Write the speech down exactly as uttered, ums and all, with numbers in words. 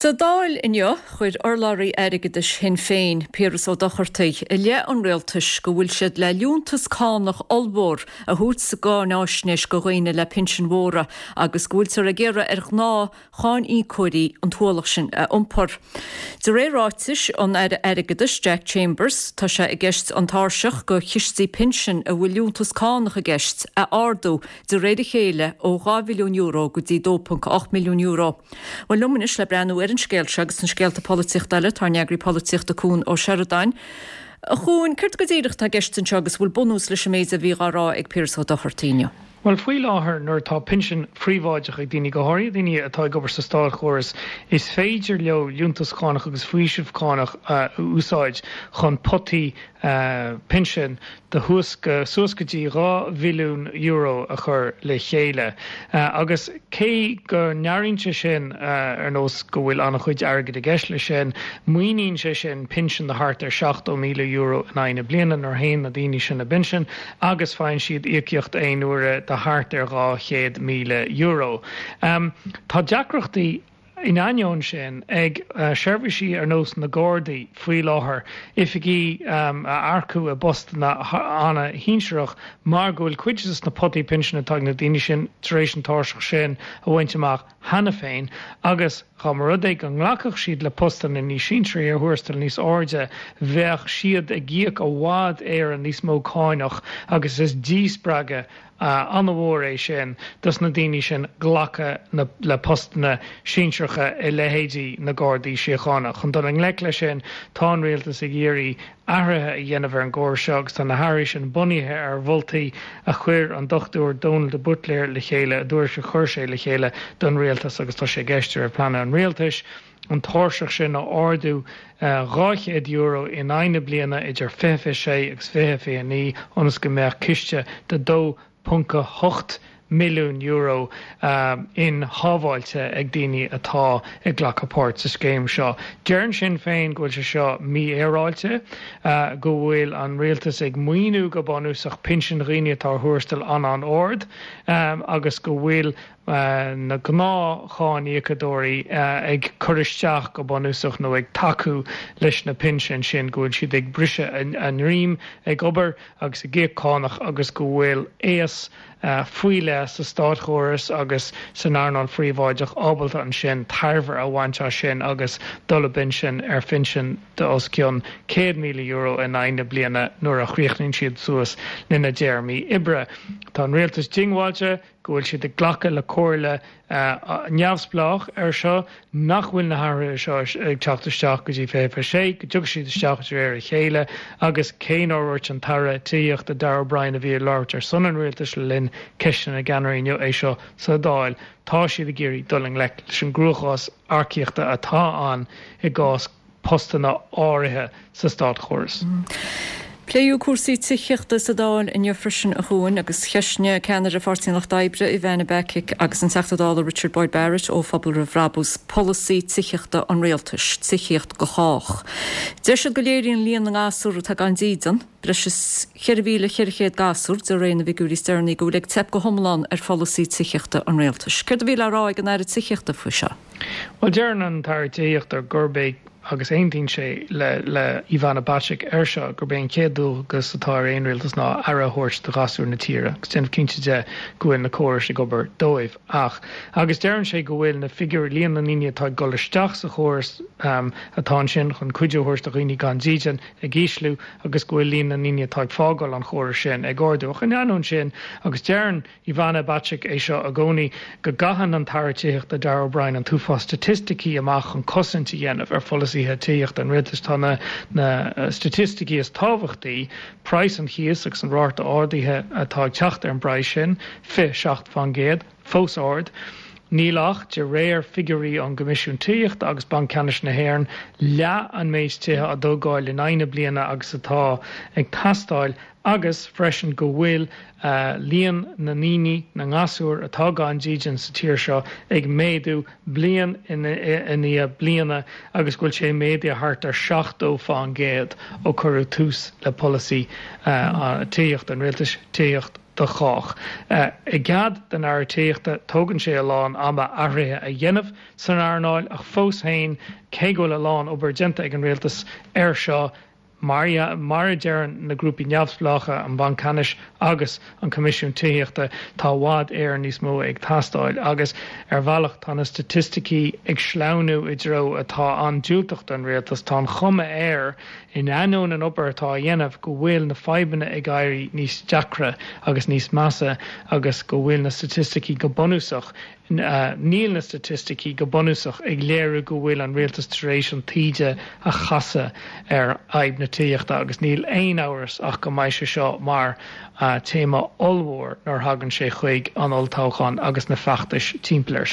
Sa Dáil inniu chuir urlabhraí airgeadais Shinn Féin, Piaras Ó Dochartaigh, i leith an rialtais go bhfuil siad le liúntas cánach ollmhór a thabhairt sa gcáináisnéis go dhaoine le pinsin mhóra agus go bhfuiltear ag iarraidh ar ghnáth-cháiníocóirí an t-ualach sin a iompar. De réir ráitis an Aire Airgeadais Jack Chambers, tá sé i gceist an tairseach go chistí pinsin a bhfuil liúntas cánach i gceist a ardú de réir a chéile ó dhá mhilliún euro go dtí dó ponc ocht milliún euro. Bhuel liom anois le breathnú ar an scéal seo agus an scéalta polaitíochta eile tá ár n-eagraí polaitíochta Cuan Ó Seireadáin. A Chuain, céard go díreach atá i gceist anseo agus bhfuil bunús leis an méid a bhí á rá ag Piaras Ó Dochartaigh inniu? Bhuel, faoi láthair nuair atá pinsean phríobháideach ag daoine, go háirithe daoine atá ag obair sa státchóras, is féidir leo liúntas cánach agus faoiseamh cánach a úsáid chun potaí pinsin de thuas go suas go dtí dhá mhilliún euro a chur le chéile. Agus cé go n-airíonn sé sin ar nós go bhfuil an-chuid airgid i gceist leis sin, maoiníonn sé sin pinsean de thart ar seachtó míle euro in aghaidh na bliana nuair a théann na daoine sin i bpinsean agus faigheann siad íocaíocht aon uaire de thart ar dhá chéad míle euro. Tá deacrachtaí In ainneoin sin, ag seirbhísí ar nós na Gardaí faoi láthair, oifigigh a earcú i bpostanna an-shinsearach mar go bhfuil cuid de na potaí pinsin atá ag na daoine sin tar éis an tairseach sin a bhaint amach cheana féin agus dá mba rud é go nglacfadh siad le postanna níos sinsearaí ar thuarastal níos airde bheadh siad ag íoc i bhfad Éireann níos mó cáinach agus is díspreagadh an-mhór é sin dos na daoine sin glacadh le postanna sinsearacha i leithéidí na Gardaí Síochána. Chun dul i ngleic leis sin, tá an Rialtas ag iarraidh athruithe a dhéanamh ar an gcóras seo agus tá na hathruithe sin bunaithe ar mholtaí a chuir an Dochtúir Dónal de Buitléir le chéile, i dtuairisc a chuir sé le chéile don Rialtas agus tá sé i gceist de réir pleananna an Rialtais an tairseach sin a ardú dhá chéad euro in aghaidh na bliana idir fiche fiche sé agus fiche fiche naoi ionas go mbeadh ciste de dó ponc a hocht milliún euro inshábháilte ag daoine atá ag glacadh páirt sa scéim seo. Deireann Sinn Féin go bhfuil sé seo mífhéaráilte, go bhfuil an rialtas ag maoiniú go bunúsach pinsin dhaoine atá ar thuarastal an-an-ard agus go bhfuil na gnáth-cháiníocadóirí ag cur isteach go bunúsach nó ag tacú leis na pinsin sin, go bhfuil siad ag briseadh a ndroim ag obair agus ag íoc cánach agus go bhfuil aos faoi leith sa státchóras agus san earnáil phríobháideach ábalta ansin tairbhe a bhaint as sin agus dul i bpinsean ar phinsean de os cionn céad míle euro in aghaidh na bliana nuair a chríochnaíonn siad suas lena dtéarmaí oibre. Tá an rialtas diongbháilte go bhfuil siad ag glacadh le comhairle neamhspleách air seo, nach bhfuil na hathruithe seo ag teacht isteach go dtí fiche fiche sé, go dtiocfaidh siad isteach de réir a chéile agus cé nár dhúirt an tAire Tithíochta Darragh O'Brien a bhí ag labhairt ar son an rialtais le linn Ceisteanna na gCeannairí inniu é seo sa Dáil, tá siad ag iarraidh dul i ngleic leis an gcruachás earcaíochta atá ann i gcás postanna áirithe sa státchóras. Pléadh cúrsaí tithíochta sa Dáil inniu freisin, a Chuain, agus cheistnigh ceannaire Pháirtí an Lucht Oibre, Ivana Bacik, agus an Teachta Dála Richard Boyd Barrett ó Phobal Roimh Bhrabús polasaí tithíochta an rialtais, Tithíocht do Chách. Deir siad go léiríonn líon na ngasúr atá gan dídean, breis is ceithre mhíle ceithre chéad gasúr, de réir na bhfigiúirí is deireanaí, go bhfuil ag teip go hiomlán ar pholasaí tithíochta an rialtais. Céard a bhí le rá ag an Aire Tithíochta faoi seo? Bhuel, deireann an tAire Tithíochta gurb é agus aontaíonn sé le le Ivana Bacik air seo, gurb é an chéad dualgas atá ar aon rialtas ná aire a thabhairt do ghasúir na tíre agus déanamh cinnte de go bhfuil na córais ag obair dóibh. Ach, agus deireann sé go bhfuil na figiúirí, líon na ndaoine atá ag dul isteach sa chóras atá ansin chun cuidiú a thabhairt do dhaoine gan dídean, ag ísliú agus go bhfuil líon na ndaoine atá ag fágáil an chórais sin ag ardú. Ach in ainneoin sin, agus deireann Ivana Bacik é seo i gcónaí, go gcaitheann an tAire Tithíochta Darragh O'Brien an t-uafás staitisticí amach chun cosaint a dhéanamh ar pholasaithe tithíochta an rialtais. Tá na na staitisticí is tábhachtaí, praghas an chíos agus an ráta ardaithe atá ag teacht ar an bpraghas sin, fiche seacht faoin gcéad, fós ard. Níl ach, de réir figiúirí ón gCoimisiún Tithíochta agus Banc Ceannais na hÉireann, leath an méid tithe á dtógáil in aghaidh na bliana agus atá ag teastáil agus freisin go bhfuil líon na ndaoine, na ngasúr, atá gan dídean sa tír seo ag méadú bliain i ndiaidh bliana agus go bhfuil sé méadaithe thart ar seachtó fán gcéad ó cuireadh tús le polasaí tithíochta an rialtais, Tithíocht do chách. I gcead don Aire Tithíochta, tógann sé a lán ama athruithe a dhéanamh san earnáil ach fós féin cé go bhfuil a lán obair déanta ag an rialtas air seo, mar mar a deireann na grúpaí neamhspleácha, an Banc Ceannais agus an Coimisiún Tithíochta, tá i bhfad Éireann níos mó ag teastáil agus ar bhealach tá na staitisticí ag sleamhnú i dtreo atá an-diúltach don rialtas. Tá an chuma air in ainneoin an obair atá á dhéanamh go bhfuil na fadhbanna ag éirí níos deacra agus níos measa agus go bhfuil na staitisticí go bunúsach Níl na staitisticí go bunúsach ag léiriú go bhfuil an rialtas tar éis an taoide a chasadh ar fhadhb na tithíochta agus níl aon amhras ach go mbeidh sé seo mar téama ollmhór nuair a thagann sé chuig an olltoghchán agus na feachtais timpeall air sin.